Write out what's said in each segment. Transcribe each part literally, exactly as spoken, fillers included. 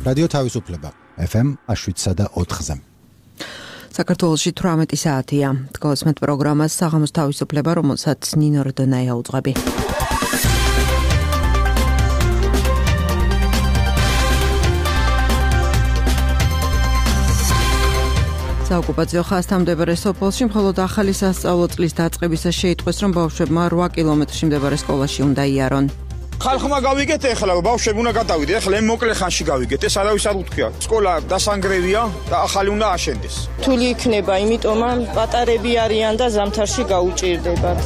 რადიო თავისუფლება ეფ ემ შვიდსა და ოთხზე. საქართველოში თვრამეტი საათია. თქოსმეთ პროგრამას საღამოს თავისუფლება, რომელსაც ნინო რდონაია უძღვები. საოკუპაციო ხაზთან მდებარე სოფელში მხოლოდ ახალი სასწავლო წლის დაწყებისას შეიტყვეს, რომ ბავშვებმა რვა კილომეტრში მდებარე სკოლაში უნდა იარონ. ხალხმა გავიგეთ ეხლა ბავშვები უნდა გადავიდეთ, ეხლა მოკლე ხანში გავიგეთ, ეს არავის არ უთქვია. სკოლა დასანგრევია და ახალი უნდა აშენდეს. რთული იქნება, იმიტომ რომ პატარები არიან და ზამთარში გაუჭირდებათ.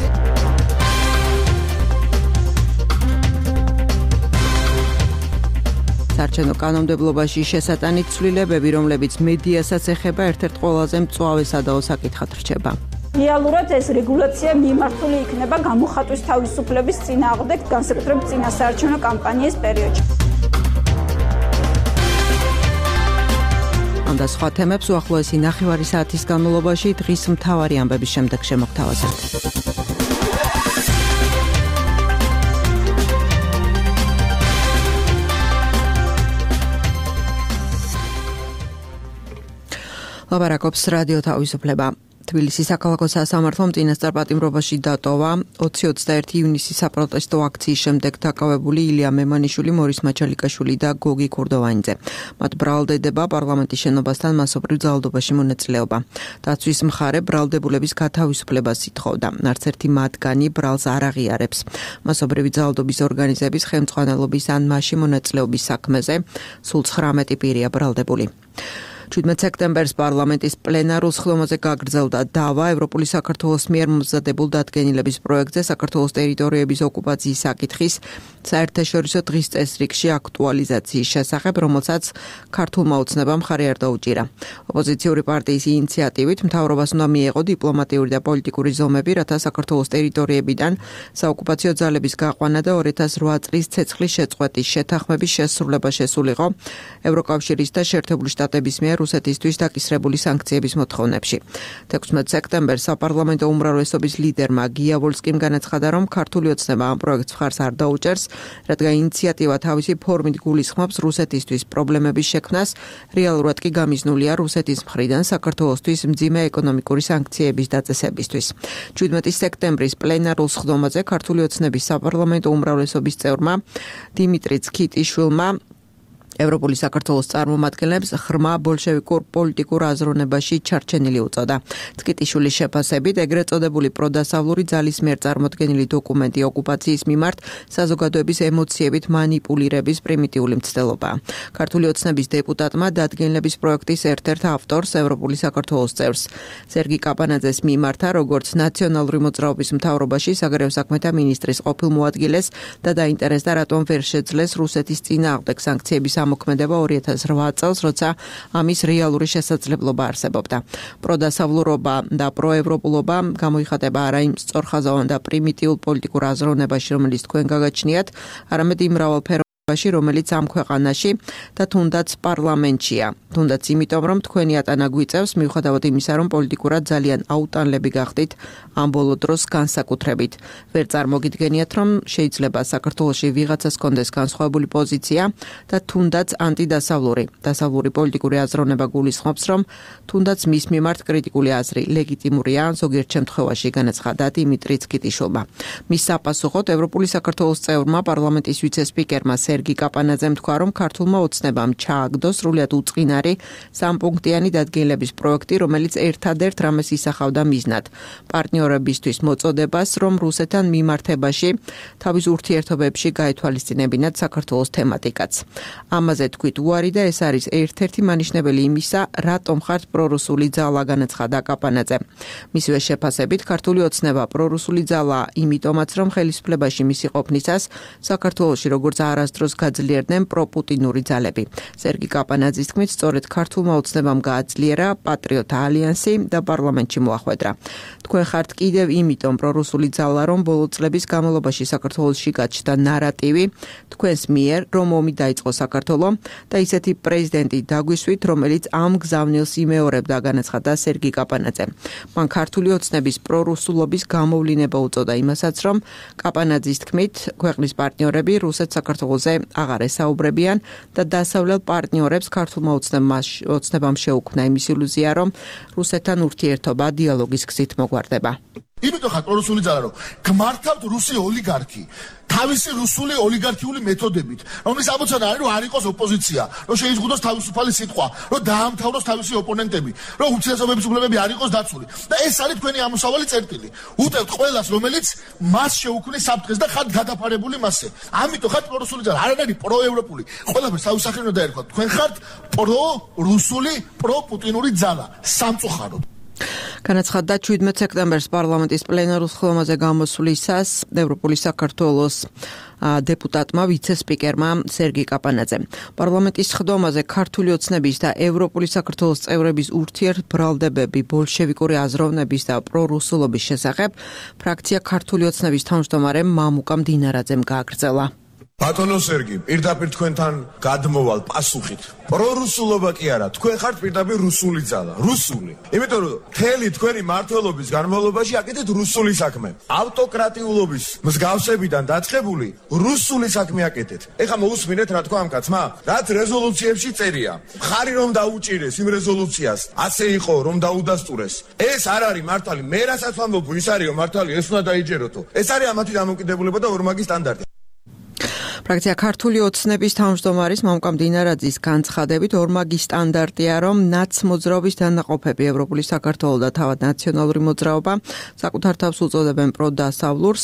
საარჩევნო კანონმდებლობაში შესატანით ცვლილებები, რომლებიც მედიასაც ეხება, ერთ-ერთ ყველაზე მწვავე სადაო საკითხად რჩება. რეალურად ეს რეგულაცია მიმართული იქნება გამოხატვის თავისუფლების წინააღმდეგ, განსაკუთრებით წინა საარჩევნო კამპანიის პერიოდში. ამ და სხვა თემებს უახლოესი ნახევარი საათის განმავლობაში დღის მთავარი ამბების შემდეგ შემოგთავაზებთ. ლაბარაკობს რადიო თავისუფლება. თბილისის საქალაქო სასამართლომ წინასწარ პატიმრობაში დატოვა ოცი ოცდაერთი ივნისის საპროტესტო აქციის შემდეგ დაკავებული ილია მემანიშვილი, მორის მაჩალიკაშვილი და გოგი ქურდოვანიძე. მათ ბრალდება პარლამენტის შენობასთან მასობრივ ძალადობაში მონაწილეობა. დაცვის მხარე ბრალდებულების გათავისუფლებას ითხოვდა. არც ერთი მათგანი ბრალს არ აღიარებს. მასობრივი ძალადობის ორგანიზების ხელმძღვანელობის ან მასში მონაწილეობის საქმეზე სულ ცხრამეტი პირია ბრალდებული. შვიდმეტ სექტემბერს პარლამენტის პლენარულ სხდომაზე გაგრძელდა დავა ევროპული საქართველოს მიერ მომზადებულ დადგენილების პროექტზე საქართველოს ტერიტორიების ოკუპაციის საკითხის საერთაშორისო დღის წესრიგში აქტუალიზაციის შესახებ, რომელსაც ქართულმა ოცნებამ მხარი არ დაუჭირა. ოპოზიციური პარტიის ინიციატივით მთავრობას უნდა მიეღო დიპლომატიური და პოლიტიკური ზომები, რათა საქართველოს ტერიტორიებიდან საოკუპაციო ძალების გაყვანა და ორი ათას რვა წლის ცეცხლის შეწყვეტის შეთანხმების შესრულება შესულიყო ევროკავშირის და შეერთებული შტატების მიერ რუსეთისთვის დაკისრებული სანქციების მოთხოვნებში. თექვსმეტ სექტემბერს საპარლამენტო უმრავლესობის ლიდერმა გია ვოლსკიმ განაცხადა, რომ ქართული ოცნება ამ პროექტს მხარს არ დაუჭერს, რადგან ინიციატივა თავისი ფორმით გულისხმობს რუსეთისთვის პრობლემების შექმნას, რეალურად კი გამიზნულია რუსეთის მხრიდან საქართველოსთვის მძიმე ეკონომიკური სანქციების დაწესებისთვის. შვიდმეტი სექტემბრის პლენარულ სხდომაზე ქართული ოცნების საპარლამენტო უმრავლესობის წევრმა დიმიტრი ცქიტიშვილმა ევროპული საქართველოს წარმომადგენლებს ღრმა ბოლშევიკურ პოლიტიკურ აზროვნებაში ჩარჩენილი უწოდა. ცქიტიშვილის შეფასებით, ეგრეთ წოდებული პროდასავლური ძალის მიერ წარმოდგენილი დოკუმენტი ოკუპაციის მიმართ საზოგადოების ემოციებით მანიპულირების პრიმიტიული მცდელობაა. ქართული ოცნების დეპუტატმა დადგენილების პროექტის ერთ-ერთ ავტორს, ევროპული საქართველოს წევრს სერგი კაპანაძეს მიმართა, როგორც ნაციონალური მოძრაობის მთავრობაში საგარეო საქმეთა მინისტრის ყოფილ მოადგილეს და დაინტერესდა, რატომ ვერ შეძლეს რუსეთის წინააღმდეგ სანქციების მოქმედება ორი ათას რვა წელს, როცა ამის რეალური შესაძლებლობა არსებობდა. პროდასავლურობა და პროევროპულობა გამოიხატება არა იმ სწორხაზოვან და პრიმიტიულ პოლიტიკურ აზროვნებაში, რომელიც თქვენ გაგაჩნიათ, არამედ იმ მრავალფეროვანობაში, რომელიც ამ ქვეყანაში და თუნდაც პარლამენტშია. თუნდაც იმიტომ, რომ თქვენი ატანა გვიწევს, მიუხედავად იმისა, რომ პოლიტიკურად ძალიან აუტანლები გახდით ამ ბოლო დროს განსაკუთრებით. ვერ წარმოგიდგენიათ, რომ შეიძლება საქართველოში ვიღაცას კონდეს განსხვავებული პოზიცია და თუნდაც ანტიდასავლური. დასავლური პოლიტიკური აზროვნება გულისხმობს, რომ თუნდაც მის მიმართ კრიტიკული აზრი ლეგიტიმურია, ზოგიერთ შემთხვევაში განაცხადა დიმიტრი ცქიტიშვილმა. მის საპასუხოდ ევროპული საქართველოს წევრმა პარლამენტის ვიცე-სპიკერმა სერგი კაპანაძემ თქვა, რომ ქართულმა ოცნებამ ჩააგდო სრულიად უწყინარი სამპუნქტიანი დადგენილების პროექტი, რომელიც ერთადერთ რამეს ისახავდა მიზნად. პარტნიორებისთვის მოწოდებას, რომ რუსეთთან მიმართებაში თავის ურთიერთობებში გაეთვალისწინებინათ საქართველოს თემატიკაც. ამაზე თქვით უარი და ეს არის ერთ-ერთი მანიშნებელი იმისა, რატომ ხართ პრორუსული ძალა, განაცხადა კაპანაძე. მისივე შეფასებით, ქართული ოცნება პრორუსული ძალა იმიტომაც, რომ ხელისუფლებაში მისი ყოფნისას საქართველოში როგორც არასდროს გაძლიერდნენ პროპუტინური ძალები. სერგი კაპანაძის თქმით, სწორედ ქართულმა ოცნებამ გააძლიერა პატრიოტთა ალიანსი და პარლამენტში მოახვედრა. თქვენ ხართ კიდევ იმიტომ პრორუსული ძალა, რომ ბოლო წლების განმავლობაში საქართველოში გაჩნდა ნარატივი თქვენს მიერ, რომ ომი დაიწყო საქართველო და ისეთი პრეზიდენტი დაგვისვით, რომელიც ამ გზავნილს იმეორებდა, განაცხადა სერგი კაპანაძე. მან ქართული ოცნების პრორუსულობის გამოვლინება უწოდა იმასაც, რომ კაპანაძის თქმით, ქვეყნის პარტნიორები რუსეთს საქართველოზე საკითხებზე აღარ ესაუბრებიან და დასავლელ პარტნიორებს ქართულმა ოცნებამ შეუქმნა იმის ილუზია, რომ რუსეთთან ურთიერთობა დიალოგის გზით მოგვარდება. იმიტომ ხარ პრორუსული ძალა, რომ გმართავთ რუსი ოლიგარქი თავისი რუსული ოლიგარქიული მეთოდებით, რომლის ამოცანა არის, რომ არ იყოს ოპოზიცია, რომ შეიზღუდოს თავისუფალი სიტყვა, რომ დაამთავროს თავისი ოპონენტები, რომ ურთიერთობების უფლებები არ იყოს დაცული. და ეს არის თქვენი ამოსავალი წერტილი. უტევთ ყველას, რომელიც მას შეუქმნის საფრთხეს და ხართ გადაფარებული მასზე. ამიტომ ხართ პრორუსული ძალა, არ არის პროევროპული. ყველაფერს თავისახრი უნდა დაერქვათ. თქვენ ხართ პრორუსული, პროპუტინური ძალა, სამწუხაროდ. განაცხადა შვიდმეტ სექტემბერს პარლამენტის პლენარულ სხდომაზე გამოსვლისას ევროპული საქართველოს დეპუტატმა ვიცე-სპიკერმა სერგი კაპანაძემ. პარლამენტის სხდომაზე ქართული ოცნების და ევროპული საქართველოს წევრების ურთიერთბრალდებები, ბოლშევიკური აზროვნების და პრორუსულობის შესახებ ფრაქცია ქართული ოცნების თავმჯდომარემ მამუკამ დინარაძემ გააგრძელა. ბატონო სერგი, პირდაპირ თქვენთან გადმოვალ პასუხით. პრორუსულობა კი არა, თქვენ ხართ პირდაპირ რუსული ძალა, რუსული. იმიტომ რომ მთელი თქვენი მმართველობის განმავლობაში აკეთეთ რუსული საქმე. ავტოკრატიულობის მსგავსებიდან დაწყებული რუსული საქმე აკეთეთ. ეხლა მოусმინეთ რა თქვა ამ კაცმა? რაც რეზოლუციებში წერია. მხარი რომ დაუჭირეს იმ რეზოლუციას, ასე იყო რომ დაუდასტურეს. ეს არ არის მართალი. მე რასაც ვამბობ, ის არისო მართალი, ეს უნდა დაიჯეროთო. ეს არის ამათი დამოუკიდებლობა და ორმაგი სტანდარტი. ფრაქცია ქართული ოცნების თავმჯდომარის მამუკამ დინარაძის განცხადებით ორმაგი სტანდარტია, რომ ნაცმოძრაობის დანაყოფები ევროპული საქართველო და თავად ნაციონალური მოძრაობა საკუთარ თავს უწოდებენ პროდასავლურს,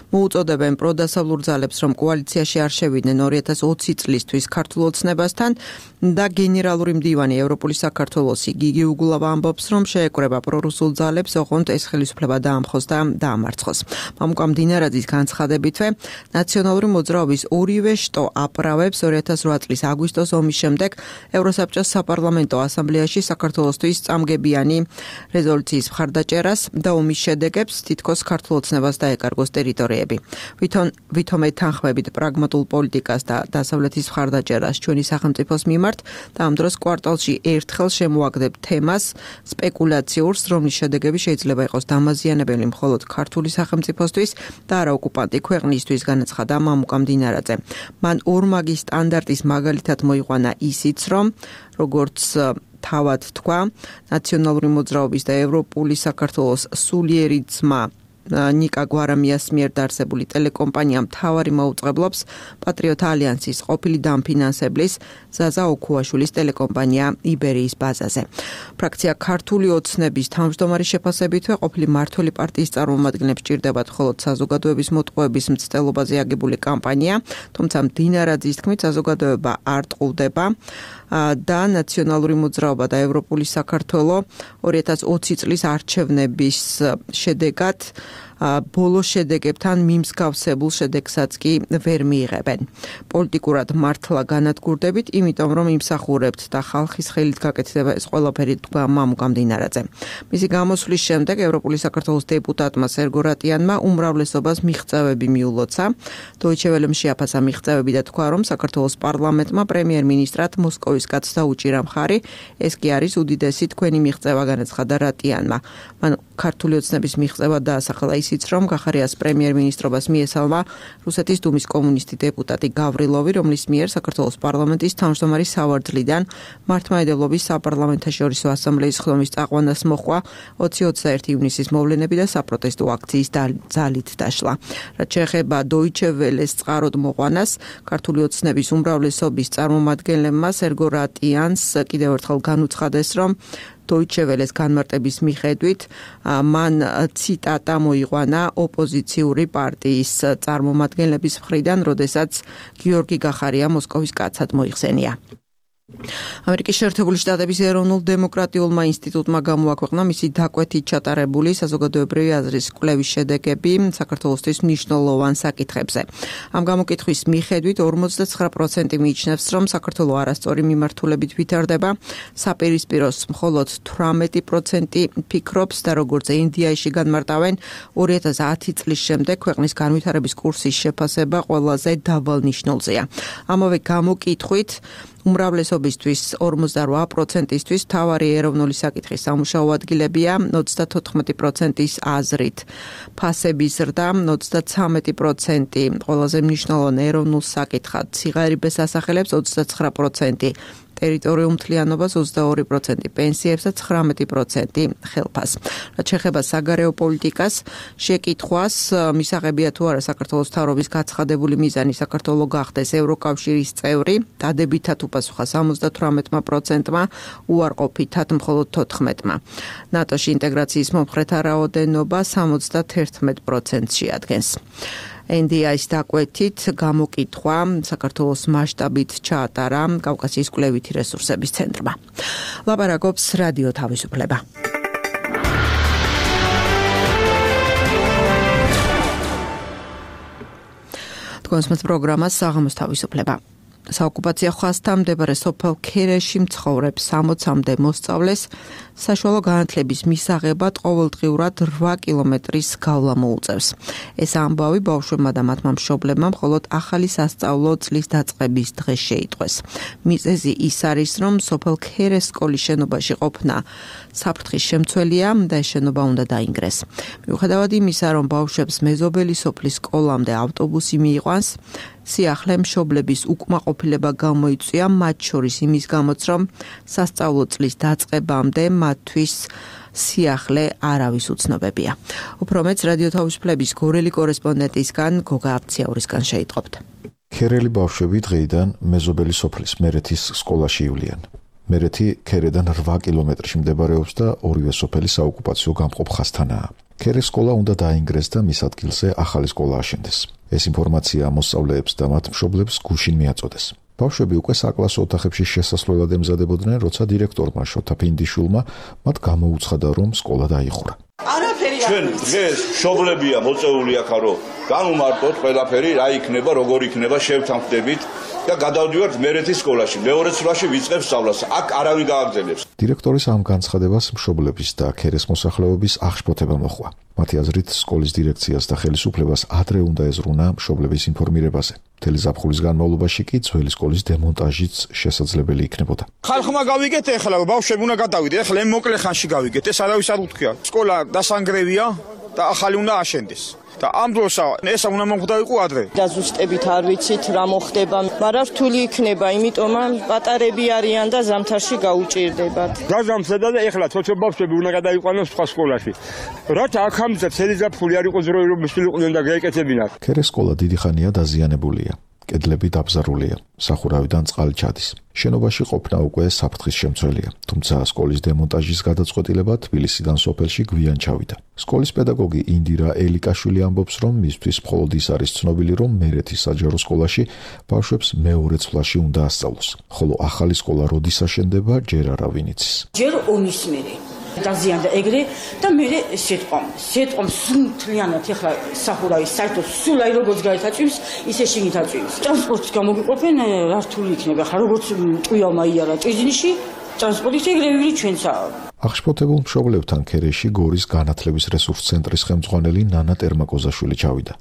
მოუწოდებენ პროდასავლურ ძალებს, რომ კოალიციაში არ შევიდნენ ორი ათას ოცი წლისთვის ქართულ ოცნებასთან და გენერალური მდივანი ევროპული საქართველოსი გიგი უგულავა ამბობს, რომ შეეკრება პრორუსულ ძალებს, ოღონდ ეს ხელისუფლება დაამხოს და დაამარცხოს. მამუკამ დინარაძის განცხადებითვე ნაციონალური მოძრაობის ორივე შტო აპრავებს ორი ათას რვა წლის აგვისტოს ომის შემდეგ ევროსაბჭოს საპარლამენტო ასამბლეაში საქართველოსთვის წამგებიანი რეზოლუციის მხარდაჭერას და ომის შედეგებს თითქოს ქართულ ოცნებას დაეკარგოს ტერიტორიები. ვითომ ვითომ ეთანხმებით პრაგმატულ პოლიტიკას და დასავლეთის მხარდაჭერას ჩვენი სახელმწიფოს მიმართ და ამ დროს კვარტალში ერთხელ შემოაგდებთ თემას სპეკულაციურს, რომლის შედეგები შეიძლება იყოს დამაზიანებელი მხოლოდ ქართული სახელმწიფოსთვის და არა ოკუპანტი ქვეყნისთვის, განაცხადა მამუკამ დინარაძემ. მან ორმაგი სტანდარტის მაგალითად მოიყვანა ისიც, რომ როგორც თავად თქვა, ნაციონალური მოძრაობის და ევროპული საქართველოს სულიერი ძმა ნიკა გვარამიას მიერ დაარსებული ტელეკომპანია მთავარი მაუწყებლობს პატრიოტ ალიანსის ყოფილი დამფინანსებლის ზაზა ოქუაშვილის ტელეკომპანია იბერიის ბაზაზე. ფრაქცია ქართული ოცნების თავმჯდომარის შეფასებითვე ყოფილი მმართველი პარტიის წარმომადგენლებს ჭირდებათ მხოლოდ საზოგადოების მოტყუების მცდელობაზე აგებული კამპანია, თუმცა დინარაძის თქმით საზოგადოება არ ტყუდება და ნაციონალური მოძრაობა და ევროპული საქართველო ორი ათას ოცი წლის არჩევნების შედეგად ბოლო შედეგებთან მიმსგავსებულ შედეგსაც კი ვერ მიიღებენ. პოლიტიკურად მართლა განადგურდებით, იმიტომ რომ იმსახურებთ და ხალხის ხელით გაკეთდება ეს ყველაფერი, თქვა მამუკამ დინარაძემ. მისი გამოსვლის შემდეგ ევროპული საქართველოს დეპუტატმა სერგო რატიანმა უმრავლესობას მიღწევები მიულოცა. დოიჩე ველემ შეაფასა მიღწევები და თქვა, რომ საქართველოს პარლამენტმა პრემიერ-მინისტრად მოსკოვის კაცს დაუჭირა მხარი, ეს კი არის უდიდესი თქვენი მიღწევა, განაცხადა რატიანმა. მან ქართული ოცნების მიღწევა დაასახელა ისიც, რომ გახარიას პრემიერ-მინისტრობას მიესალმა რუსეთის დუმის კომუნისტი დეპუტატი გავრილოვი, რომლის მიერ საქართველოს პარლამენტის თავმჯდომარის სავარძლიდან მართლმადიდებლობის საპარლამენტაშორისო ასამბლეის სხდომის წაყვანას მოჰყვა ოცი ოცდაერთი ივნისის მოვლენები და საპროტესტო აქციის ძალით დაშლა. რაც შეეხება დოიჩე ველეს წყაროდ მოყვანას, ქართული ოცნების უმრავლესობის წარმომადგენლებმა სერგო რატიანს კიდევ ერთხელ განუცხადეს, რომ დოიჩე ველეს განმარტების მიხედვით მან ციტატა მოიყვანა ოპოზიციური პარტიის წარმომადგენლების მხრიდან, როდესაც გიორგი გახარია მოსკოვის კაცად მოიხსენია. ამერიკის შეერთებული შტატების ეროვნულ დემოკრატიულმა ინსტიტუტმა გამოაქვეყნა მისი დაკვეთით ჩატარებული საზოგადოებრივი აზრის კვლევის შედეგები საქართველოსთვის მნიშვნელოვან საკითხებზე. ამ გამოკითხვის მიხედვით ორმოცდაცხრა პროცენტი მიიჩნევს, რომ საქართველო არასწორი მიმართულებით ვითარდება, საპირისპიროს მხოლოდ თვრამეტი პროცენტი ფიქრობს და როგორც ინდიაში განმარტავენ, ორი ათას ათი წლის შემდეგ ქვეყნის განვითარების კურსის შეფასება ყველაზე დაბალ ნიშნულზეა. ამავე გამოკითხვით უმრავლესობისთვის ორმოცდარვა პროცენტისთვის მთავარი ეროვნული საკითხი სამუშაო ადგილებია ოცდათოთხმეტი პროცენტის აზრით. ფასების ზრდა ოცდაცამეტი პროცენტი, ყველაზე მნიშვნელოვანი ეროვნულ საკითხად სიღარიბეს ასახელებს ოცდაცხრა პროცენტი. ტერიტორიულ მთლიანობას ოცდაორი პროცენტი, პენსიებსა ცხრამეტი პროცენტი ხელფას. რაც შეეხება საგარეო პოლიტიკას, შეკითხვას მისაღებია თუ არა საქართველოს მთავრობის გაცხადებული მიზანი საქართველო გახდეს ევროკავშირის წევრი, დადებითად უპასუხა სამოცდათვრამეტმა პროცენტმა, უარყოფითად მხოლოდ თოთხმეტმა. ნატოში ინტეგრაციის მომხრეთა რაოდენობა სამოცდაერთმეტ პროცენტს შეადგენს. ენ დი აის დაკვეთით გამოკითხვა საქართველოს მასშტაბით ჩაატარა კავკასიის კვლევითი რესურსების ცენტრმა. ლაპარაკობს რადიო თავისუფლება. თქვენს პროგრამას საღამოს თავისუფლება. საოკუპაციო ხაზთან მდებარე სოფელ ქერეში მცხოვრებ სამოცამდე მოსწავლეს საშუალო განათლების მისაღებად ყოველდღიურად რვა კილომეტრის გავლა მოუწევს. ეს ამბავი ბავშვებმა და მათმა მშობლებმა მხოლოდ ახალი სასწავლო წლის დაწყების დღეს შეიტყვეს. მიზეზი ის არის, რომ სოფელ ქერეს სკოლის შენობაში ყოფნა საფრთხის შემცველია და ეს შენობა უნდა დაინგრეს. მიუხედავად იმისა, რომ ბავშვებს მეზობელი სოფლის სკოლამდე ავტობუსი მიიყვანს, სიახლე მშობლების უკმაყოფილება გამოიწვია, მათ შორის იმის გამოც, რომ სასწავლო წლის დაწყებამდე მათთვის სიახლე არავის უცნობებია. უფრო მეც რადიო თავისუფლების გორელი კორესპონდენტისგან გოგა აფციაურისგან შეიტყობთ. ქერელი ბავშვები დღეიდან მეზობელი სოფლის მერეთის სკოლაში ივლიან. მერეთი ქერედან რვა კილომეტრში მდებარეობს და ორივე სოფელი საოკუპაციო გამყოფ ხაზთანაა. ქერეს სკოლა უნდა დაინგრეს და მის ადგილზე ახალი სკოლა აშენდეს. ეს ინფორმაცია მოსწავლეებს და მათ მშობლებს გუშინ მიაწოდეს. ბავშვები უკვე საკლასო ოთახებში შესასვლელად ემზადებოდნენ, როცა დირექტორმა შოთა ფინდიშვილმა მათ გამოუცხადა, რომ სკოლა დაიხურა. ჩვენ დღეს მშობლებია მოწეული აქა, რომ განუმარტოთ ყველაფერი, რა იქნება, როგორ იქნება, შევთანხმდებით და გადავდივართ მერეთის სკოლაში. მეორე წლაში ვიწყებ სწავლას. აქ არავინ გააგრძელებს. დირექტორის ამ განცხადებას მშობლების და ქერეს მოსახლეობის აღშფოთება მოჰყვა. მათი აზრით, სკოლის დირექციას და ხელისუფლებას ადრე უნდა ეზრუნა მშობლების ინფორმირებაზე. მთელი ზაფხულის განმავლობაში კი ძველი სკოლის დემონტაჟიც შესაძლებელი იქნებოდა. ხალხმა გავიგეთ ეხლა, ბავშვები უნდა გადავიდე, ეხლა ამ მოკლე ხანში გავიგეთ, ეს არავის არ უთქია. სკოლა დასანგრევია და ახალი უნდა აშენდეს. და ამ დროს ესა უნდა მომხდარიყო ადრე. დაზუსტებით არ ვიცით რა მოხდება, მაგრამ რთული იქნება, იმიტომ რომ პატარები არიან და ზამთარში გაუჭირდებათ. გაზამთრდა და ეხლა თოთო ბავშვები უნდა გადაიყვანოს სხვა სკოლაში. რათა აქ ამზე წელი ზაფხული არ იყოს რო რომ მისულიყვნენ და გაეკეთებინათ. ქერეს სკოლა დიდი ხანია დაზიანებულია. კედლები დაბზარულია, სახურავიდან წყალი ჩადის. შენობაში ყოფნა უკვე საფრთხის შემცველია, თუმცა სკოლის დემონტაჟის გადაწყვეტილება თბილისიდან სოფელში გვიან ჩავიდა. სკოლის პედაგოგი ინდირა ელიკაშვილი ამბობს, რომ მისთვის მხოლოდ ის არის ცნობილი, რომ მერეთის საჯარო სკოლაში ბავშვებს მეორე ცვლაში უნდა ასწავლოს, ხოლო ახალი სკოლა როდის აშენდება, ჯერ არავინ იცის. ჯერ ომის მერე დაზიანდა ეგრე და მე სიტყვამ სიტყვამ სულთლიანად ეხლა სახურავის საერთოდ სულ აი როგორც გაეთაწვიმს ისე შიგნით აწვიმს. ტრანსპორტს გამოგიყოფენ რა რთული იქნება ხა როგორც ტყუილმა იარა ტიზნიში ტრანსპორტის ეგრევე ჩვენცაა. აღშფოთებულ მშობლებთან ქერეში გორის განათლების რესურს ცენტრის ხელმძღვანელი ნანა ტერმაკოზაშვილი ჩავიდა,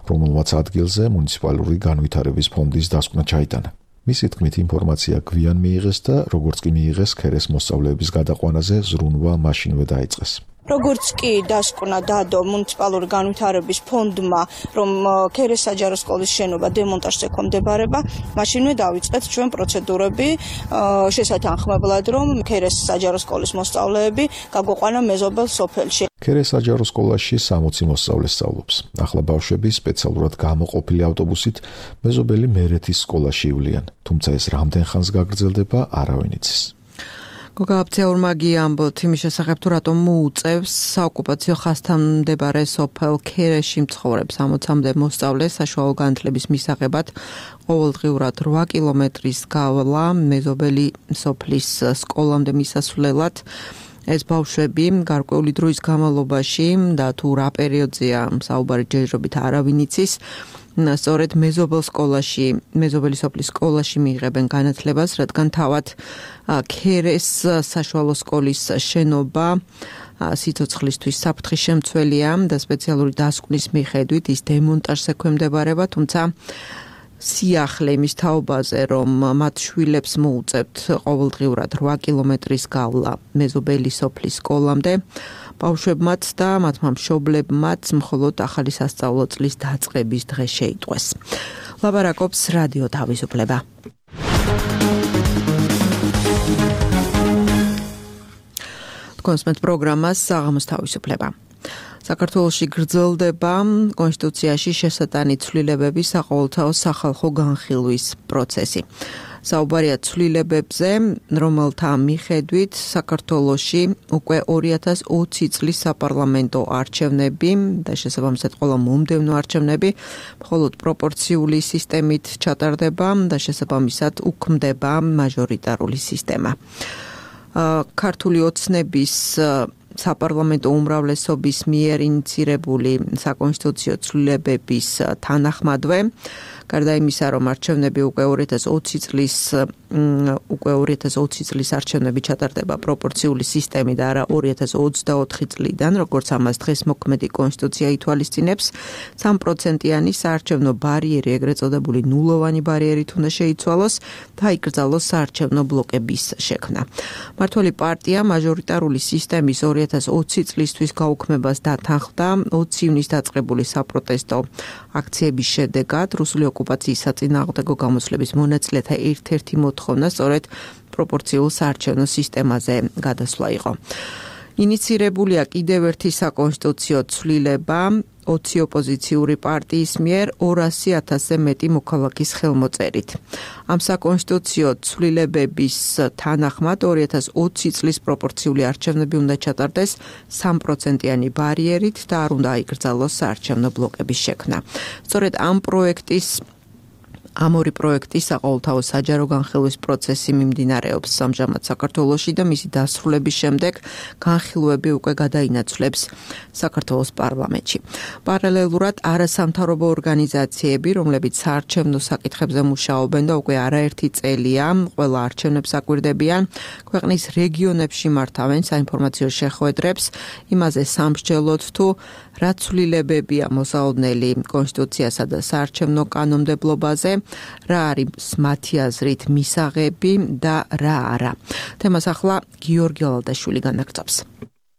რომელმაც ადგილზე მუნიციპალური განვითარების ფონდის დასკვნა ჩაიტანა. მისი თქმით ინფორმაცია გვიან მიიღეს და როგორც კი მიიღეს ქერეს მოსწავლეების გადაყვანაზე ზრუნვა მაშინვე დაიწყეს. როგორც კი დასკვნა დადო მუნიციპალური განვითარების ფონდმა, რომ ქერეს საჯარო სკოლის შენობა დემონტაჟს ექვემდებარება, მაშინვე დავიწყეთ ჩვენ პროცედურები შესათანხმებლად, რომ ქერეს საჯარო სკოლის მოსწავლეები გაგვიყვანა მეზობელ სოფელში. ქერეს საჯარო სკოლაში სამოცი მოსწავლე სწავლობს. ახლა ბავშვები სპეციალურად გამოყოფილი ავტობუსით მეზობელი მერეთის სკოლაში ივლიან, თუმცა ეს რამდენ ხანს გაგრძელდება, არავინ იცის. გოგა აფციაურმა ამბობთ იმის შესახებ, თუ რატომ მოუწევს საოკუპაციო ხაზთან მდებარე სოფელ ქერეში მცხოვრებ სამოცამდე მოსწავლეს საშუალო განათლების მისაღებად ყოველდღიურად რვა კილომეტრის გავლა მეზობელი სოფლის სკოლამდე მისასვლელად. ეს ბავშვები გარკვეული დროის განმავლობაში და თუ რა პერიოდზეა საუბარი ჯერჯერობით არავინ იცის, სწორედ მეზობელ სკოლაში, მეზობელი სოფლის სკოლაში მიიღებენ განათლებას, რადგან თავად ქერეს საშუალო სკოლის შენობა სიცოცხლისთვის საფრთხის შემცველია და სპეციალური დასკვნის მიხედვით ის დემონტაჟს ექვემდებარება, თუმცა სიახლე იმის თაობაზე, რომ მათ შვილებს მოუწევთ ყოველდღიურად რვა კილომეტრის გავლა მეზობელი სოფლის სკოლამდე, ბავშვებმაც და მათმა მშობლებმაც მხოლოდ ახალი სასწავლო წლის დაწყების დღე შეიტყვეს. ლაბარაკობს რადიო თავისუფლება. კონსმეთ პროგრამას საღამოს თავისუფლება. საქართველოში გრძელდება კონსტიტუციაში შესატანი ცვლილებების საყოველთაო სახალხო განხილვის პროცესი. საუბარია ცვლილებებზე, რომელთა მიხედვით საქართველოში უკვე ორი ათას ოცი წლის საპარლამენტო არჩევნები და შესაბამისად ყველა მომდევნო არჩევნები მხოლოდ პროპორციული სისტემით ჩატარდება და შესაბამისად უქმდება მაჟორიტარული სისტემა. ქართული ოცნების საპარლამენტო უმრავლესობის მიერ ინიცირებული საკონსტიტუციო ცვლილებების თანახმადვე, გარდა იმისა, რომ არჩევნები უკვე ორი ათას ოცი წლის უკვე ორი ათას ოცი წლის არჩევნები ჩატარდება პროპორციული სისტემით და არა ორი ათას ოცდაოთხი წლიდან, როგორც ამას დღეს მოქმედი კონსტიტუცია ითვალისწინებს, სამი პროცენტიანი საარჩევნო ბარიერი, ეგრეთ წოდებული ნულოვანი ბარიერით უნდა შეიცვალოს და იკრძალოს საარჩევნო ბლოკების შექმნა. მმართველი პარტია მაჟორიტარული სისტემის ორი ათას ოცი წლისთვის გაუქმებას დათანხმდა ოცი ივნისს დაწყებული საპროტესტო აქციების შედეგად. რუსული ოკუპაციის საწინააღმდეგო გამოსვლების მონაწილეთა ერთ-ერთი მოთხოვნა სწორედ პროპორციულ საარჩევნო სისტემაზე გადასვლა იყო. ინიცირებულია კიდევ ერთი საკონსტიტუციო ცვლილება ოცი ოპოზიციური პარტიის მიერ ორასი ათასზე მეტი მოქალაქის ხელმოწერით. ამ საკონსტიტუციო ცვლილებების თანახმად ორი ათას ოცი წლის პროპორციული არჩევნები უნდა ჩატარდეს სამი პროცენტიანი ბარიერით და არ უნდა აიკრძალოს საარჩევნო ბლოკების შექმნა. სწორედ ამ პროექტის ამ ორი პროექტის საყოველთაო საჯარო განხილვის პროცესი მიმდინარეობს ამჟამად საქართველოში და მისი დასრულების შემდეგ განხილვები უკვე გადაინაცვლებს საქართველოს პარლამენტში. პარალელურად არასამთავრობო ორგანიზაციები, რომლებიც საარჩევნო საკითხებზე მუშაობენ და უკვე არაერთი წელია ყველა არჩევნებს აკვირდებიან, ქვეყნის რეგიონებში მართავენ საინფორმაციო შეხვედრებს, იმაზე სამსჯელოდ თუ რა ცვლილებებია მოსალოდნელი კონსტიტუციასა და საარჩევნო კანონმდებლობაზე, რა არის მათი აზრით მისაღები და რა არა. თემას ახლა გიორგი ალადაშვილი განაგრძობს.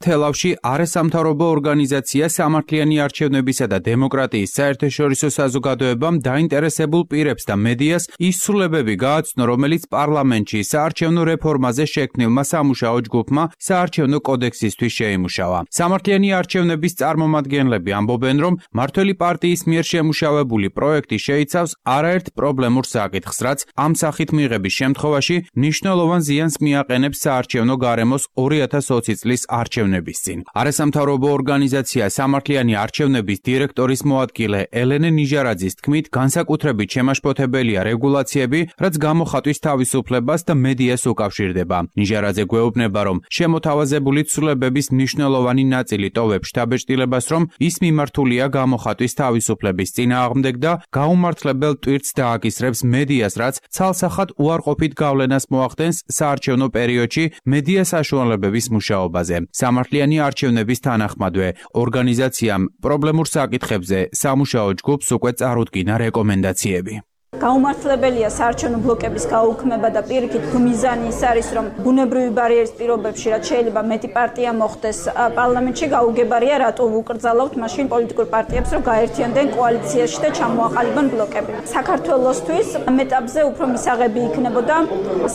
თელავში არასამთავრობო ორგანიზაცია სამართლიანი არჩევნებისა და დემოკრატიის საერთაშორისო საზოგადოებამ დაინტერესებულ პირებს და მედიას ის ცვლილებები გააცნო, რომელიც პარლამენტში საარჩევნო რეფორმაზე შექმნილმა სამუშაო ჯგუფმა საარჩევნო კოდექსისთვის შეიმუშავა. სამართლიანი არჩევნების წარმომადგენლები ამბობენ, რომ მმართველი პარტიის მიერ შემუშავებული პროექტი შეიცავს არაერთ პრობლემურ საკითხს, რაც ამ სახით მიღების შემთხვევაში მნიშვნელოვან ზიანს მიაყენებს საარჩევნო გარემოს ორი ათას ოცი წლის არჩევნებში. არასამთავრობო ორგანიზაცია სამართლიანი არჩევნების დირექტორის მოადგილე ელენე ნიჟარაძის თქმით, განსაკუთრებით შემაშფოთებელია რეგულაციები, რაც გამოხატვის თავისუფლებას და მედიას უკავშირდება. ნიჟარაძე გვეუბნება, რომ შემოთავაზებული ცვლილებების მნიშვნელოვანი ნაწილი ტოვებს შთაბეჭდილებას, რომ ის მიმართულია გამოხატვის თავისუფლების წინააღმდეგ და გაუმართლებელ ტვირთს დააკისრებს მედიას, რაც ცალსახად უარყოფით გავლენას მოახდენს საარჩევნო პერიოდში მედია საშუალებების მუშაობაზე. სამართლიანი არჩევნების თანახმადვე ორგანიზაციამ პრობლემურ საკითხებზე სამუშაო ჯგუფს უკვე წარუდგინა რეკომენდაციები. გაუმართლებელია საარჩევნო ბლოკების გაუქმება და პირიქით მიზანი ის არის, რომ ბუნებრივი ბარიერის პირობებში, რაც შეიძლება მეტი პარტია მოხდეს პარლამენტში, გაუგებარია რატო ვუკრძალავთ მაშინ პოლიტიკურ პარტიებს, რომ გაერთიანდნენ კოალიციაში და ჩამოაყალიბონ ბლოკები. საქართველოსთვის ამ ეტაპზე უფრო მისაღები იქნებოდა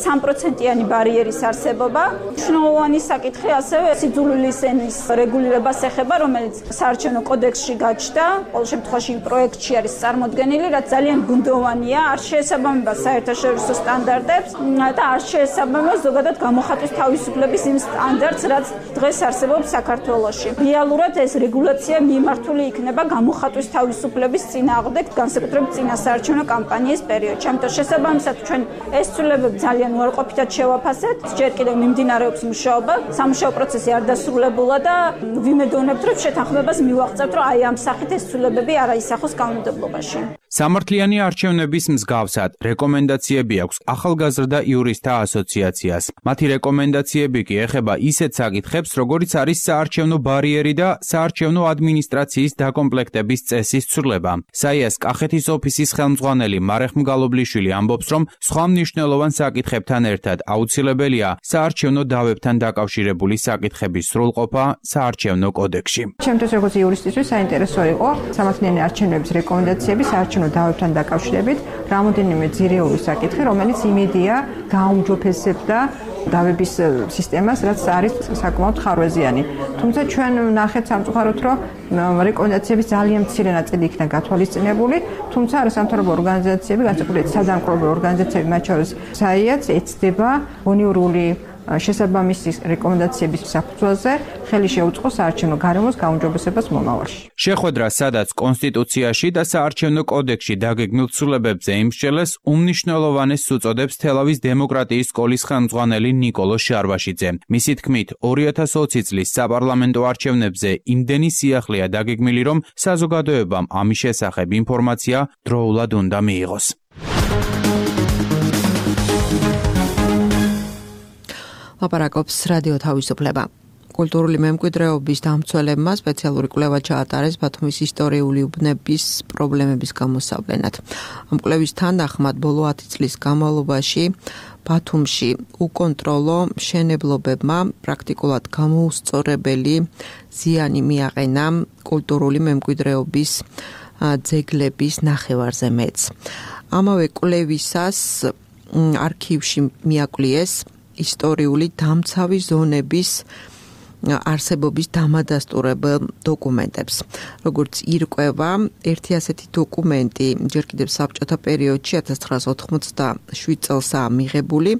სამი პროცენტიანი ბარიერის არსებობა. მნიშვნელოვანი საკითხი ასევე სიძულვილის ენის რეგულირებას ეხება, რომელიც საარჩევნო კოდექსში გაჩნდა, ყოველ შემთხვევაში იმ პროექტში არის წარმოდგენილი, რაც ძალიან გუნდოვანია, არ შეესაბამება საერთაშორისო სტანდარტებს და არ შეესაბამება ზოგადად გამოხატვის თავისუფლების იმ სტანდარტს, რაც დღეს არსებობს საქართველოში. რეალურად ეს რეგულაცია მიმართული იქნება გამოხატვის თავისუფლების წინააღმდეგ, განსაკუთრებით წინა საარჩევნო კამპანიის პერიოდში. ამიტომ შესაბამისად ჩვენ ეს ცვლილებები ძალიან უარყოფითად შევაფასეთ. ჯერ კიდევ მიმდინარეობს მუშაობა, სამუშაო პროცესი არ დასრულებულა და ვიმედოვნებთ, რომ შეთანხმებას მივაღწევთ, რომ აი ამ სახით ეს ცვლილებები არ აისახოს კანონმდებლობაში. სამართლიანი არჩევნების მსგავსად რეკომენდაციები აქვს ახალგაზრდა იურისტთა ასოციაციას. მათი რეკომენდაციები კი ეხება ისეთ საკითხებს, როგორიც არის საარჩევნო ბარიერი და საარჩევნო ადმინისტრაციის დაკომპლექტების წესის ცვლილება. საიას კახეთის ოფისის ხელმძღვანელი მარეხ მგალობლიშვილი ამბობს, რომ სხვა მნიშვნელოვან საკითხებთან ერთად აუცილებელია საარჩევნო დავებთან დაკავშირებული საკითხების სრულყოფა საარჩევნო კოდექსში. ჩემთვის როგორც იურისტისთვის საინტერესო იყო სამართლიანი არჩევნების რეკომენდაციები საარჩევნო დავებთან დაკავშირებით რამოდენიმე ძირეული საკითხი, რომელიც იმედია გაუმჯობესებდა დავების სისტემას, რაც არის საკმაოდ ხარვეზიანი. თუმცა ჩვენ ნახეთ სამწუხაროდ, რომ რეკომენდაციების ძალიან მცირე ნაწილი იქნა გათვალისწინებული, თუმცა არასამთავრობო ორგანიზაციები, განსაკუთრებით სადამკვირვებლო ორგანიზაციები, მათ შორის საიაც ეცდება უნიური შესაბამისი რეკომენდაციების საფუძველზე ხელი შეუწყოს საარჩევნო გარემოს გაუმჯობესებას მომავალში. შეხვედრა, სადაც კონსტიტუციაში და საარჩევნო კოდექსში დაგეგმილ ცვლილებებზე იმსჯელეს, უმნიშვნელოვანეს უწოდებს თელავის დემოკრატიის სკოლის ხელმძღვანელი ნიკოლო შარვაშიძე. მისი თქმით, ორი ათას ოცი წლის საპარლამენტო არჩევნებზე იმდენი სიახლეა დაგეგმილი, რომ საზოგადოებამ ამის შესახებ ინფორმაცია დროულად უნდა მიიღოს. ლაპარაკობს რადიო თავისუფლება. კულტურული მემკვიდრეობის დამცველებმა სპეციალური კვლევა ჩაატარეს ბათუმის ისტორიული უბნების პრობლემების გამოსავლენად. ამ კვლევის თანახმად ბოლო ათი წლის განმავლობაში ბათუმში უკონტროლო მშენებლობებმა პრაქტიკულად გამოუსწორებელი ზიანი მიაყენა კულტურული მემკვიდრეობის ძეგლების ნახევარზე მეტს. ამავე კვლევისას არქივში მიაკლიეს ისტორიული დამცავი ზონების არსებობის დამადასტურებელ დოკუმენტებს. როგორც ირკვევა, ერთი ასეთი დოკუმენტი ჯერ კიდევ საბჭოთა პერიოდში ათას ცხრაასა ოთხმოცდაშვიდ წელსაა მიღებული,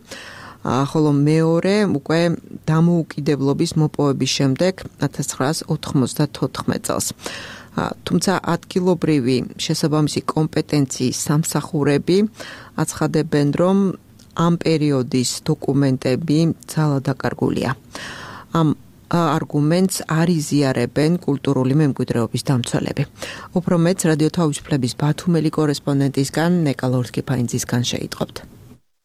ხოლო მეორე უკვე დამოუკიდებლობის მოპოვების შემდეგ ათას ცხრაასა ოთხმოცდათოთხმეტ წელს. თუმცა ადგილობრივი შესაბამისი კომპეტენციის სამსახურები აცხადებენ, რომ ამ პერიოდის დოკუმენტები ძალად დაკარგულია. ამ არგუმენტს არ იზიარებენ კულტურული მემკვიდრეობის დამცველები. უფრო მეტს რადიო თავისუფლების ბათუმელი კორესპონდენტისგან ნეკა ლორთქიფაინძისგან შეიტყობთ.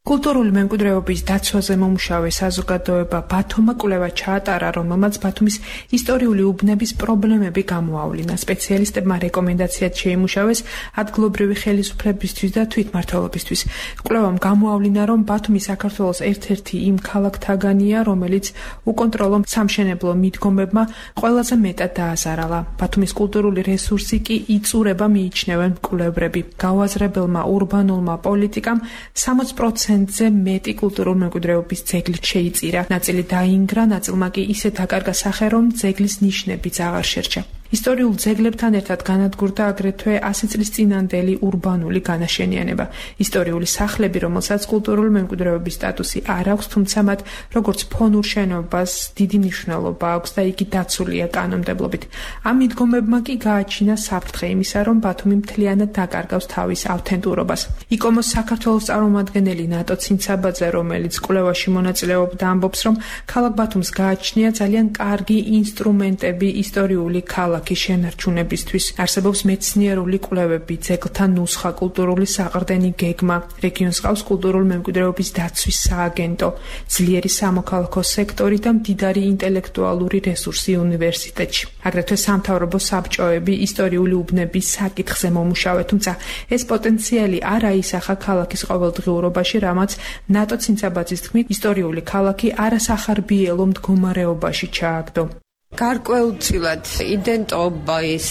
კულტურული მემკვიდრეობის დაცვაზე მომუშავე საზოგადოება ბათუმმა კვლევა ჩაატარა, რომელმაც ბათუმის ისტორიული უბნების პრობლემები გამოავლინა. სპეციალისტებმა რეკომენდაციად შეიმუშავეს ადგილობრივი ხელისუფლებისთვის და თვითმმართველობისთვის. კვლევამ გამოავლინა, რომ ბათუმი საქართველოს ერთ-ერთი იმ ქალაქთაგანია, რომელიც უკონტროლო სამშენებლო მიდგომებმა ყველაზე მეტად დააზარალა. ბათუმის კულტურული რესურსი კი იწურება მიიჩნევენ მკვლევრები. გავაზრებელმა ურბანულმა პოლიტიკამ სამოცი პროცენტი ზე მეტი კულტურული მემკვიდრეობის ძეგლი შეიწირა. ნაწილი დაინგრა, ნაწილმა კი ისე დაკარგა სახე, რომ ძეგლის ნიშნებიც აღარ შერჩა. ისტორიულ ძეგლებთან ერთად განადგურდა აგრეთვე ასი წლის წინანდელი ურბანული განაშენიანება. ისტორიული სახლები, რომელსაც კულტურული მემკვიდრეობის სტატუსი არ აქვს, თუმცა მათ როგორც ფონურ შენობას დიდი მნიშვნელობა აქვს და იგი დაცულია კანონმდებლობით. ამ მიდგომებმა კი გააჩინა საფრთხე იმისა, რომ ბათუმი მთლიანად დაკარგავს თავის ავთენტურობას. იკომოს საქართველოს წარმომადგენელი ნატო ცინცაბაძე, რომელიც კვლევაში მონაწილეობდა, ამბობს, რომ ქალაქ ბათუმს გააჩნია ძალიან კარგი ინსტრუმენტები ისტორიული ქალაქ შენარჩუნებისთვის. არსებობს მეცნიერული კვლევები, ძეგლთა ნუსხა, კულტურული საყრდენი გეგმა, რეგიონს ყავს კულტურული მემკვიდრეობის დაცვის სააგენტო, ძლიერი სამოქალაქო სექტორი და მდიდარი ინტელექტუალური რესურსი უნივერსიტეტში. აგრეთვე სამთავრობო საბჭოები ისტორიული უბნების საკითხზე მომუშავე, თუმცა ეს პოტენციალი არ აისახა ქალაქის ყოველდღიურობაში, რამაც ნატო ცინცაბაძის თქმით, ისტორიული ქალაქი არასახარბიელო მდგომარეობაში ჩააგდო. გარკვეულწილად იდენტობის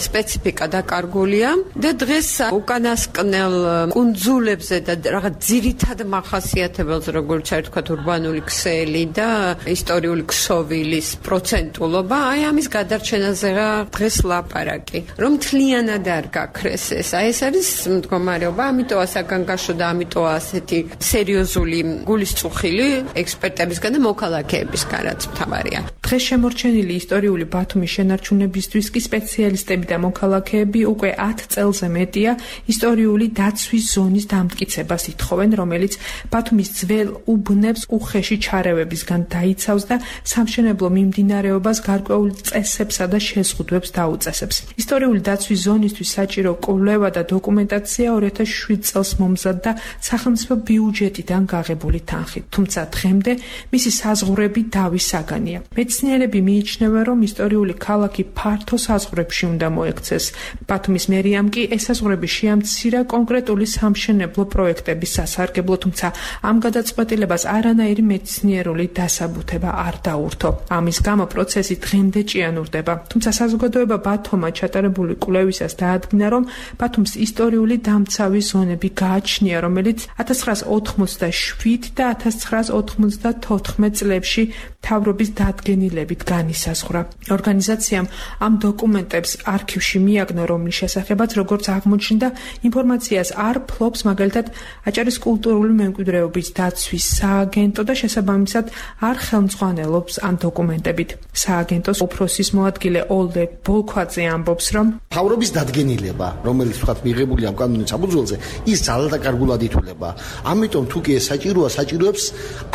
სპეციფიკა დაკარგულია და დღეს უკანასკნელ კუნძულებზე და რაღაც ძირითად მახასიათებელს, როგორც არ თქვა, ურბანული ქსელი და ისტორიული ქსოვილის პროცენტულობა, აი ამის გადარჩენაზეა დღეს ლაპარაკი. რომ მთლიანად არ გაქრეს ეს, აი ეს არის მდგომარეობა, ამიტოა საგანგაშო და ამიტოა ასეთი სერიოზული გულისწუხილი ექსპერტებისგან და მოქალაქეებისგან, რაც მთავარია. დღეს შემორჩენილი ადგილი ისტორიული ბათუმის შენარჩუნებისთვის კი სპეციალისტები და მოქალაქეები უკვე ათ წელზე მეტია ისტორიული დაცვის ზონის დამტკიცებას ითხოვენ, რომელიც ბათუმის ძველ უბნებს უხეში ჩარევებისგან დაიცავს და სამშენებლო მიმდინარეობას გარკვეულ წესებსა და შეზღუდვებს დაუწესებს. ისტორიული დაცვის ზონისთვის საჭირო კვლევა და დოკუმენტაცია ორი ათას შვიდ წელს მომზადდა სახელმწიფო ბიუჯეტიდან გაღებული თანხით, თუმცა დღემდე მისი საზღვრები დავის საგანია. მეცნიერები მიიჩნევენ, რომ ისტორიული ქალაქი ფართო საზღვრებში უნდა მოექცეს. ბათუმის მერიამ კი ესაზღვრები შეამცირა კონკრეტული სამშენებლო პროექტების სასარგებლო, თუმცა ამ გადაწყვეტილებას არანაირი მეცნიერული დასაბუთება არ დაურთო. ამის გამო პროცესი დღემდე ჭიანურდება. თუმცა საზოგადოება ბათუმმა ჩატარებული კვლევისას დაადგინა, რომ ბათუმს ისტორიული დამცავი ზონები გააჩნია, რომელიც ათას ცხრაას ოთხმოცდაშვიდ და ათას ცხრაას ოთხმოცდათოთხმეტ წლებში მთავრობის დადგენილებით განისაზღვრა. ორგანიზაციამ ამ დოკუმენტებს არქივში მიაგნო, რომლის შესახებაც, როგორც აღმოჩნდა, ინფორმაციას არ ფლობს მაგალითად აჭარის კულტურული მემკვიდრეობის დაცვის სააგენტო და შესაბამისად არ ხელმძღვანელობს ამ დოკუმენტებით. სააგენტოს უფროსის მოადგილე ოლდე ბოლქვაძე ამბობს, რომ მთავრობის დადგენილება, რომელიც ვთქვათ მიღებული ამ კანონის საფუძველზე, ის ძალადაკარგულად ითვლება. ამიტომ თუ კი ეს საჭიროა, საჭიროებს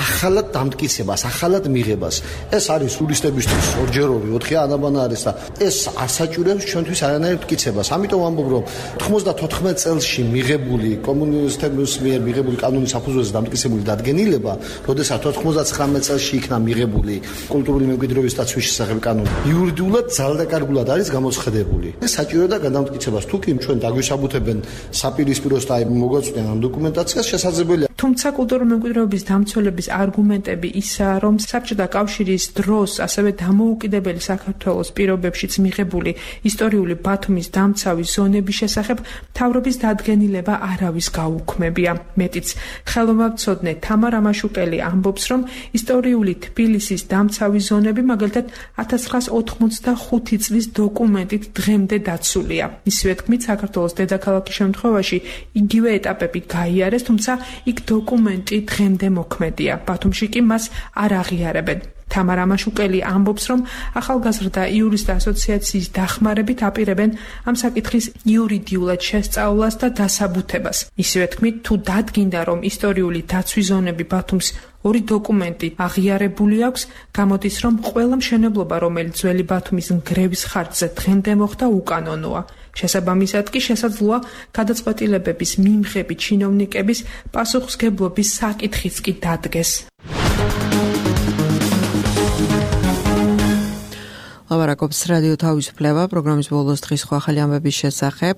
ახალად დამტკიცებას, ახალად მიღებას. ეს არის ტურისტებისთვის ორჯეროვი ოთხი ანაბანა არის და ეს არ საჭიროებს ჩვენთვის არანაირ მტკიცებას. ამიტომ ამბობ, რომ ოთხმოცდათოთხმეტ წელში მიღებული კომუნისტების მიერ მიღებული კანონის საფუძველზე დამტკიცებული დადგენილება, როდესაც ოთხმოცდაცხრამეტ წელში იქნა მიღებული კულტურული მემკვიდრეობის დაცვის შესახებ კანონი, იურიდიულად ძალადაკარგულად არის გამოცხადებული. ეს საჭირო და გადამტკიცებას თუ კი ჩვენ დაგვისაბუთებენ საპირისპიროს და მოგვაწვდიან ამ დოკუმენტაციას შესაძლებელია. თუმცა კულტურული მემკვიდრეობის დამცველების არგუმენტები ისაა, რომ საბჭოთა კავშირის დროს ასევე დამოუკიდებელი საქართველოს პირობებშიც მიღებული ისტორიული ბათუმის დამცავი ზონების შესახებ მთავრობის დადგენილება არავის გაუქმებია. მეტიც, ხელოვნებაცოდნე თამარ ამაშუკელი ამბობს, რომ ისტორიული თბილისის დამცავი ზონები მაგალითად ათას ცხრაას ოთხმოცდახუთი წლის დოკუმენტით დღემდე დაცულია. ისივე თქმით, საქართველოს დედაქალაქის შემთხვევაში იგივე ეტაპები გაიარეს, თუმცა იქ დოკუმენტი დღემდე მოქმედია. ბათუმში კი მას არ აღიარებენ. თამარ ამაშუკელი ამბობს, რომ ახალგაზრდა იურისტთა ასოციაციის დახმარებით აპირებენ ამ საკითხის იურიდიულად შესწავლას და დასაბუთებას. ისივე თქმით, თუ დადგინდა, რომ ისტორიული დაცვის ზონები ბათუმს ორი დოკუმენტი აღიარებული აქვს, გამოდის, რომ ყველა მშენებლობა, რომელიც ძველი ბათუმის ნგრევის ხარჯზე დღემდე მოხდა, უკანონოა. შესაბამისად კი შესაძლოა გადაწყვეტილებების მიმღები ჩინოვნიკების პასუხისმგებლობის საკითხიც კი დადგეს. ლაპარაკობს რადიო თავისუფლება პროგრამის ბოლოს დღის სხვა ახალი ამბების შესახებ.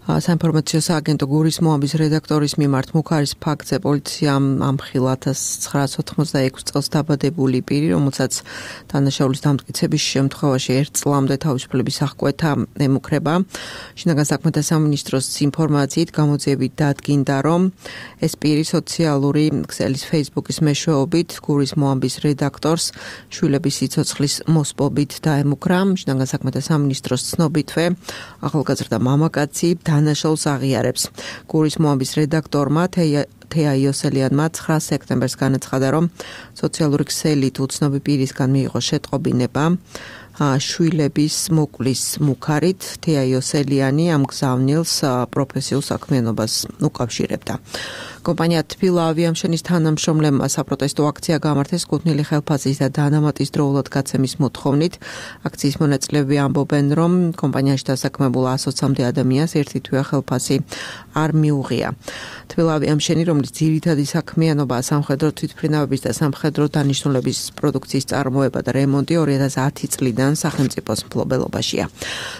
საინფორმაციო სააგენტო გურის მოამბის რედაქტორის მიმართ მუქარის ფაქტზე პოლიციამ ამხილა ათას ცხრაას ოთხმოცდაექვსი წელს დაბადებული პირი, რომელსაც დანაშაულის დამტკიცების შემთხვევაში ერთ წლამდე თავისუფლების აღკვეთა ემუქრება. შინაგან საქმეთა სამინისტროს ინფორმაციით გამოძიებით დადგინდა, რომ ეს პირი სოციალური ქსელის Facebook-ის მეშვეობით გურის მოამბის რედაქტორს შვილების სიცოცხლის მოსპობით დაემუქრა. შინაგან საქმეთა სამინისტროს ცნობითვე ახალგაზრდა მამაკაცი დანაშაულს აღიარებს. გურის მოამბის რედაქტორმა თეა იოსელიანმა ცხრა სექტემბერს განაცხადა, რომ სოციალური ქსელით უცნობი პირისგან მიიღო შეტყობინება შვილების მოკლის მუქარით. თეა იოსელიანი ამ გზავნილს პროფესიულ საქმიანობას უკავშირებდა. კომპანია თბილ ავიამშენის თანამშრომლებმა საპროტესტო აქცია გამართეს კუთვნილი ხელფასის და დანამატის დროულად გაცემის მოთხოვნით. აქციის მონაწილეები ამბობენ, რომ კომპანიაში დასაქმებულ ასოც ოცამდე ადამიანს ერთი თვეა ხელფასი არ მიუღია. თბილ ავიამშენი, რომლის ძირითადი საქმიანობაა სამხედრო თვითმფრინავების და სამხედრო დანიშნულების პროდუქციის წარმოება და რემონტი ორი ათას ათი წლიდან სახელმწიფოს მფლობელობაშია.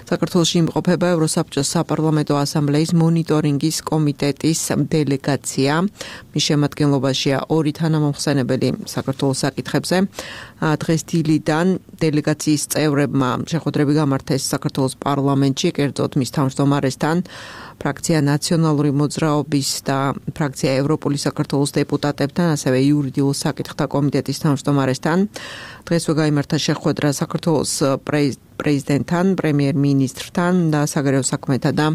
საქართველოში იმყოფება ევროსაბჭოს საპარლამენტო ასამბლეის მონიტორინგის კომიტეტის დელეგაცია. მის შემადგენლობაშია ორი თანამომხსენებელი საქართველოს საკითხებზე. დღეს დილიდან დელეგაციის წევრებმა შეხვედრები გამართეს საქართველოს პარლამენტში, კერძოდ მის თავმჯდომარესთან, ფრაქცია ნაციონალური მოძრაობის და ფრაქცია ევროპული საქართველოს დეპუტატებთან, ასევე იურიდიულ საკითხთა კომიტეტის თავმჯდომარესთან. დღესვე გაიმართა შეხვედრა საქართველოს პრეზიდენტთან, პრემიერ-მინისტრთან და საგარეო საქმეთა და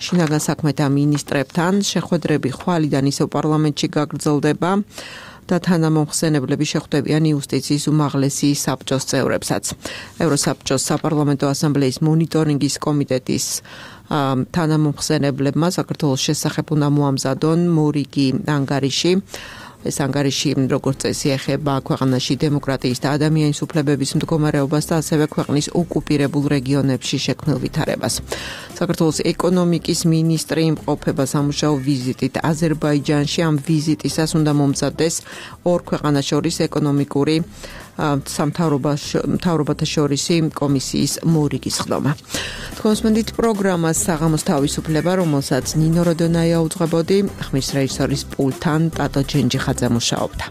შინაგან საქმეთა მინისტრებთან. შეხვედრები ხვალიდან ისევ პარლამენტში გაგრძელდება. და თანამომხსენებლები შეხვდებიან იუსტიციის უმაღლესი საბჭოს წევრებსაც. ევროსაბჭოს საპარლამენტო ასამბლეის მონიტორინგის კომიტეტის თანამომხსენებლებმა საქართველოს შესახებ უნდა მოამზადონ მორიგი ანგარიში. ეს ანგარიში როგორც წესი ეხება ქვეყანაში დემოკრატიის და ადამიანის უფლებების მდგომარეობას და ასევე ქვეყნის ოკუპირებულ რეგიონებში შექმნილ ვითარებას. საქართველოს ეკონომიკის მინისტრი იმყოფება სამუშაო ვიზიტით აზერბაიჯანში. ამ ვიზიტისას უნდა მომზადდეს ორ ქვეყანას შორის ეკონომიკური სამთავრობათა შორისი კომისიის მორიგი სხდომა. თქვენსმენდით პროგრამას საღამოს თავისუფლება, რომელსაც ნინო როდონაია უძღვებოდი, ხმის რეჟისორის პულტთან ტატო ჯენჯიხაძე მუშაობდა.